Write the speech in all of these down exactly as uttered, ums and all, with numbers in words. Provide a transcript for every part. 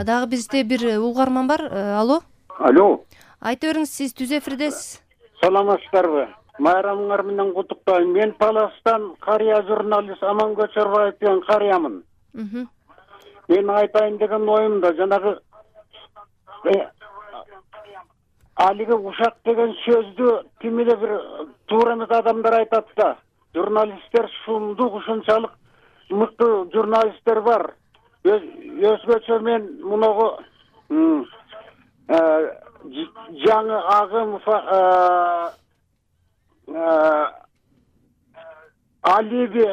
Дагы бизде бир угарман бар. Алло. Алло. Айта бериңиз, сиз түз эфирдесиз. Саламатсыздарбы? Майрамыңар менен куттуктайм. Мен Таластан карыя журналист Аман Көчөрбаев деген карыямын. Мен айтайын деген оюм да жанагы алиги ушак деген сөздү ким эле бир туура эмес адамдар айтат да. Журналисттер шундук ушунчалык мыкты журналисттер бар. Өзгөчө мен муногу жаңы агым Алиби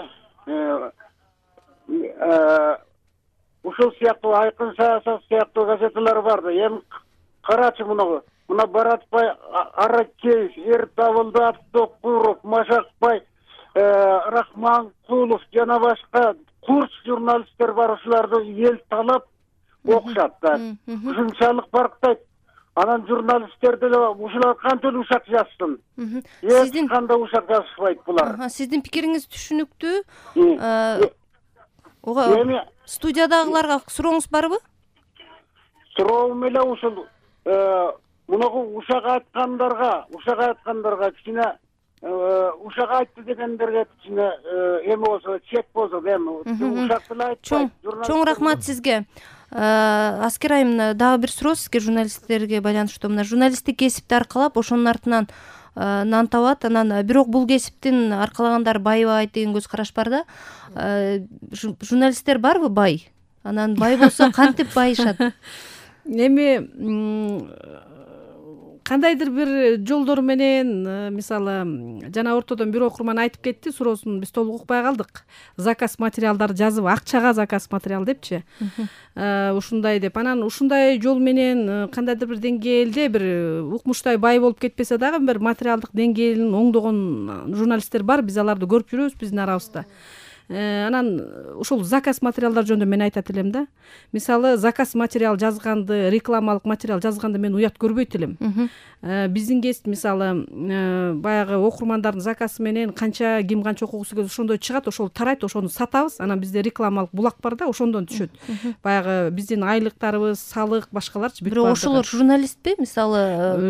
ушул сыяктуу Айкын саясат сыяктуу газеталар бар да. Эми карачы муногу. Мына Баратбай Аракеев, Эртабылды Абдокуров, Машакбай Рахманкулов жана башка курс журналисттер бар, ушуларды эл талап окушат да. Ушунчалык барктайт. Анан журналисттер деле ушулар кантип ушак жазсын? Сиздин кандай ушак жазышпайт булар? Сиздин пикириңиз түшүнүктүү. Ого студиядагыларга сурооңуз барбы? Суроом эле ушул мунагу ушак айткандарга, ушак айткандарга кичине ушак айтты дегендерге кичине эме болсо, чек болсо, эми ушак деле айтпайт. Чоң рахмат сизге. Аскер айым, дагы бир суроо сизге журналисттерге байланыштуу. Мына журналисттик кесипти аркалап ошонун артынан нан табат, анан бирок бул кесиптин аркалагандар байыбайт деген көз караш бар да. Журналисттер барбы бай? Анан бай болсо кантип байышат? Эми кандайдыр бир жолдор менен, мисалы, жана ортодон бир окурман айтып кетти, суроосун биз толук укпай калдык. Заказ материалдар жазып, акчага заказ материал депчи. Ушундай деп, анан ушундай жол менен кандайдыр бир деңгээлде бир укмуштай бай болуп кетпесе дагы бир материалдык деңгээлин оңдогон журналисттер бар, биз аларды көрүп жүрөбүз биздин арабызда. Анан ушул заказ материалдар жөнүндө мен айтат элем да. Мисалы, заказ материал жазганды, рекламалык материал жазганды мен уят көрбөйт элем. Биздин кесип мисалы баягы окурмандардын заказы менен канча ким канча окугусу келет, ошондой чыгат, ошол тарайт, ошону сатабыз. Анан бизде рекламалык булак бар да, ошондон түшөт. Баягы биздин айлыктарыбыз, салык, башкаларчы бүт бар. Бирок ошолор журналистпи? Мисалы,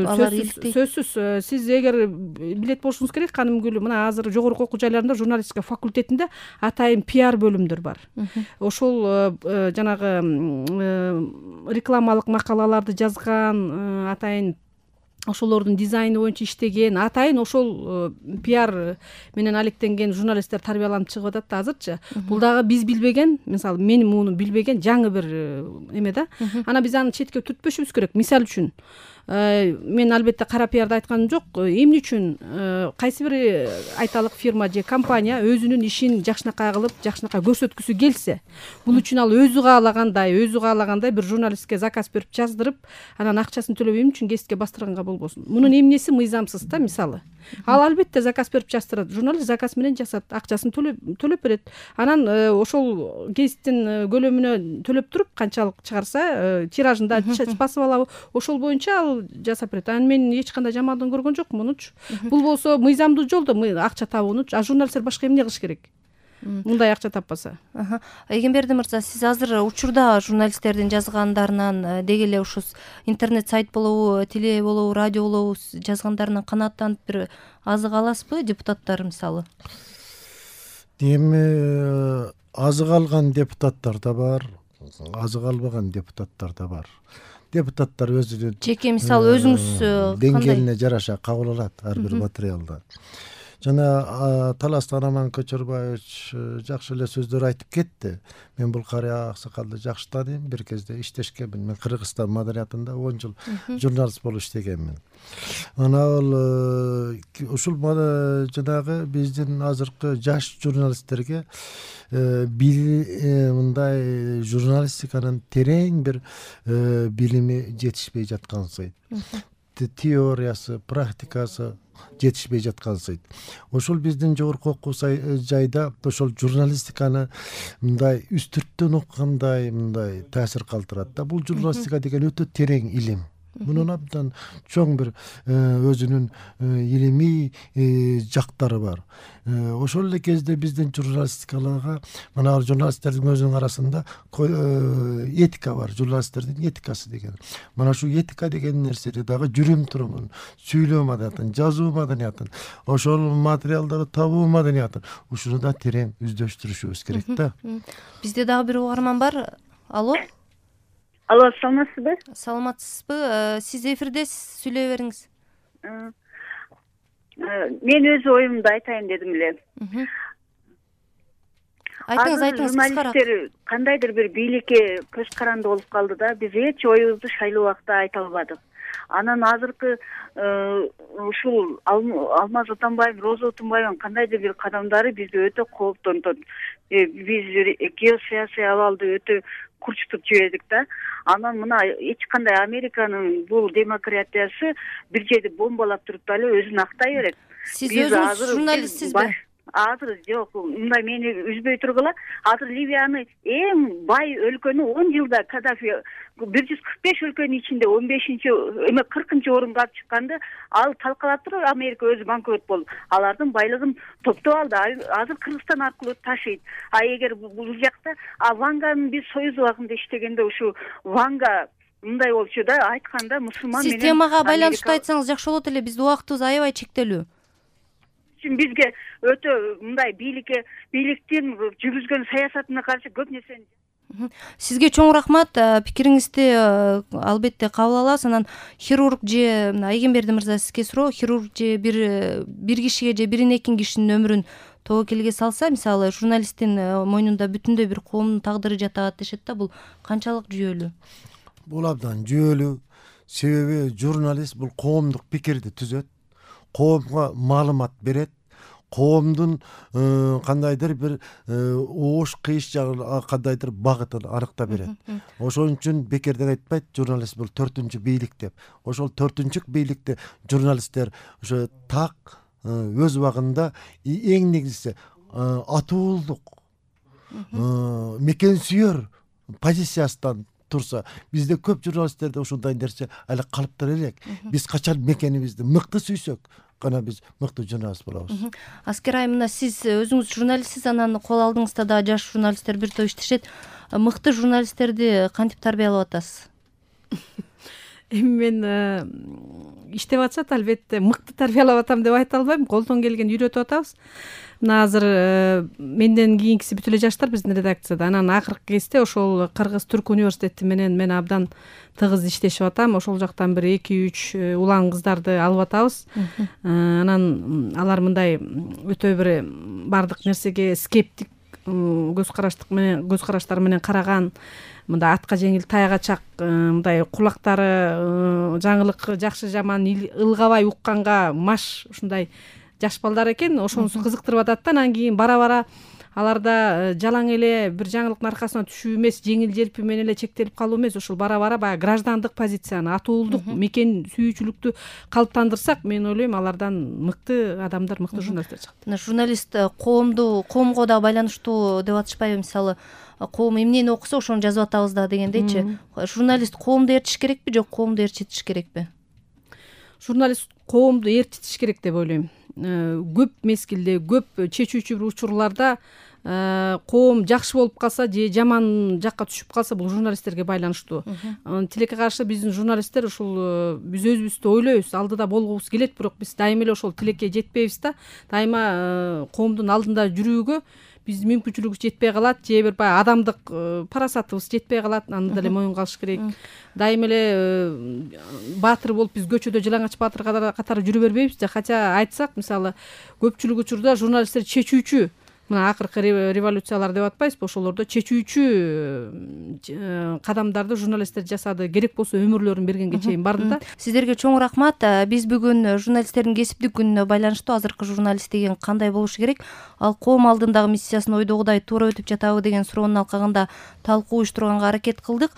алар иликтейт. Сөзсүз, сиз эгер билет болушуңуз керек, Каным Гүлү, мына азыр жогорку окуу жайларында журналистика факультетинде атайын пиар бөлүмдөр бар. Ошол жанагы рекламалык макалаларды жазган, атайын ошолордун дизайны боюнча иштеген, атайын ошол пиар менен алектенген журналисттер тарбияланып чыгып атат да азырчы. Бул дагы биз билбеген, мисалы, мен муну билбеген жаңы бир эме да. Анан биз аны четке түртпөшүбүз керек. Мисал үчүн, мен албетте кара пиарды айтканым жок. Эмне үчүн кайсы бир айталык фирма же компания өзүнүн ишин жакшынакай кылып, жакшынакай көрсөткүсү келсе, бул үчүн ал өзү каалагандай, өзү каалагандай бир журналистке заказ берип жаздырып, анан акчасын төлөп эмне үчүн кесипке бастырганга болбосун. Мунун эмнеси мыйзамсыз да, мисалы. Ал албетте заказ берип жаздырат. Журналист заказ менен жасат, акчасын төлөп берет. Анан ошол кесиптин көлөмүнө төлөп туруп, канчалык чыгарса, тиражында басып алабы, ошол боюнча ал жасап берет. Анан мен эч кандай жамандыгын көргөн жокмун мунучу. Бул болсо мыйзамдуу жолдо акча табуунучу. А журналисттер башка эмне кылыш керек? Мындай акча таппаса. Эгемберди мырза, сиз азыр учурда журналисттердин жазгандарынан деги эле ушу интернет сайт болобу, теле болобу, радио болобу жазгандарынан канааттанып бир азык аласызбы, депутаттар мисалы? Эми азык алган депутаттар да бар, азык албаган депутаттар да бар. Депутаттар өзүнүн жеке мисалы өзүңүз деңгээлине жараша кабыл алат ар бир материалды. Жана Таластан Аман Көчөрбаевич жакшы эле сөздөр айтып кетти. Мен бул карыя аксакалды жакшы тааныйм, бир кезде иштешкенмин. Мен Кыргызстан маданиятында он жыл журналист болуп иштегенмин. Ана ал ушул жанагы биздин азыркы жаш журналисттерге мындай журналистиканын терең бир билими жетишпей жаткансыйт. Теориясы, практикасы жетишпей жаткансыйт. Ошол биздин жогорку окуу жайда ошол журналистиканы мындай үстүрттөн окугандай мындай таасир калтырат да. Бул журналистика деген өтө терең илим. Мунун абдан чоң бир өзүнүн илимий жактары бар. Ошол эле кезде биздин журналистикаларга мына журналисттердин өзүнүн арасында этика бар, журналисттердин этикасы деген. Мына ушул этика деген нерсени дагы жүрүм турумун, сүйлөө маданиятын, жазуу маданиятын, ошол материалдарды табуу маданиятын ушуну да терең өздөштүрүшүбүз керек да. Бизде дагы бир угарман бар. Алло. Алло, саламатсызбы? Саламатсызбы? Сиз эфирдесиз, сүйлөй бериңиз. Мен өз оюмду айтайын дедим эле. Айтыңыз, айтыңыз, кыскараак. Журналисттер кандайдыр бир бийликке көз каранды болуп калды да, биз эч оюбузду шайлуу убакта айта албадык. Анан азыркы ушул Алмаз Атамбаев, Роза Отунбаевдин кандайдыр бир кадамдары бизди өтө кооптонтот. Биз геосаясий абалды өтө курчутуп жибердик да. Анан мына эч кандай Американын бул демократиясы бир жерди бомбалап туруп дагы өзүн актай берет. Сиз өзүңүз журналистсизби? Азыр жок, мындай мени үзбөй тургула. Азыр Ливияны эң бай өлкөнү он жылда Каддафи бир жүз кырк беш өлкөнүн ичинде он бешинчи эме кыркынчы орунга алып чыкканды ал талкалап туруп Америка өзү банкрот болду. Алардын байлыгын топтоп алды. Азыр Кыргызстан аркылуу ташыйт. А эгер бул жакта а Ванганын биз союз убагында иштегенде ушу Ванга мындай болчу да, айтканда мусулман менен. Сиз темага байланыштуу айтсаңыз жакшы болот эле. Биздин убактыбыз аябай чектелүү. Бизге өтө мындай бийликке бийликтин жүргүзгөн саясатына каршы көп нерсени. Сизге чоң рахмат. Пикириңизди албетте кабыл алабыз. Анан хирург же Айгемберди мырза, сизге суроо. Хирург же бир бир кишиге же бир эки кишинин өмүрүн тобокелге салса, мисалы журналисттин мойнунда бүтүндөй бир коомдун тагдыры жатат дешет да, бул канчалык жүйөлүү? Бул абдан жүйөлүү. Себеби журналист бул коомдук пикирди түзөт, коомго маалымат берет, коомдун кандайдыр бир оош кыйыш жагын кандайдыр багытын аныктап берет. Ошон үчүн бекерден айтпайт журналист бул төртүнчү бийлик деп. Ошол төртүнчү бийликти журналисттер ошо так өз убагында эң негизгиси атуулдук, мекенсүйөр позициясынан турса, бизде көп журналисттерде ушундай нерсе эле калыптар элек. Биз качан мекенибизди мыкты сүйсөк гана биз мыкты журналист болобуз. Аскер айым, мына сиз өзүңүз журналистсиз, анан кол алдыңызда да жаш журналисттер бир топ иштешет. Мыкты журналисттерди кантип тарбиялап атасыз? Эми мен иштеп атышат, албетте мыкты тарбиялап атам деп айта албайм. Колдон келген үйрөтүп атабыз. Мына азыр менден кийинкиси бүт эле жаштар биздин редакцияда. Анан акыркы кезде ошол Кыргыз Түрк университети менен мен абдан тыгыз иштешип атам. Ошол жактан бир эки үч улан кыздарды алып атабыз. Анан алар мындай өтө бир бардык нерсеге скептик көз караштык менен көз караштары менен караган, мындай атка жеңил таягачак, мындай кулактары жаңылык жакшы жаман ылгабай укканга маш ушундай жаш балдар экен. Ошонусу кызыктырып атат да. Анан кийин бара-бара аларда жалаң эле бир жаңылыктын аркасына түшүү эмес, жеңил желпи менен эле чектелип калуу эмес, ошол бара-бара баягы граждандык позицияны, атуулдук, мекен сүйүүчүлүктү калыптандырсак, мен ойлойм алардан мыкты адамдар, мыкты журналисттер чыгат. Журналист коомду, коомго да байланыштуу деп атышпайбы? Мисалы, коом эмнени окуса ошону жазып атабыз да дегендейчи. Журналист коомду ээрчиш керекпи, жок коомду ээрчитиш керекпи? Журналист коомду ээрчитиш керек деп ойлойм. Көп мезгилде, көп чечүүчү бир учурларда коом жакшы болуп калса же жаман жакка түшүп калса, бул журналисттерге байланыштуу. Тилекке каршы биздин журналисттер ушул биз өзүбүздү ойлойбуз, алдыда болгубуз келет, бирок биз дайыма эле ошол тилекке жетпейбиз да. Дайыма коомдун алдында жүрүүгө биздин мүмкүнчүлүгүбүз жетпей калат, же бир баягы адамдык парасатыбыз жетпей калат, аны деле моюнга алыш керек. Дайыма эле баатыр болуп биз көчөдө жалаңач баатыр катары жүрө бербейбиз да. Хотя айтсак, мисалы, көпчүлүк учурда журналисттер чечүүчү, мына акыркы революциялар деп атпайсызбы, ошолордо чечүүчү кадамдарды журналисттер жасады. Керек болсо өмүрлөрүн бергенге чейин барды да. Сиздерге чоң рахмат. Биз бүгүн журналисттердин кесиптик күнүнө байланыштуу азыркы журналист деген кандай болушу керек, ал коом алдындагы миссиясын ойдогудай туура өтүп жатабы деген суроонун алкагында талкуу уюштурганга аракет кылдык.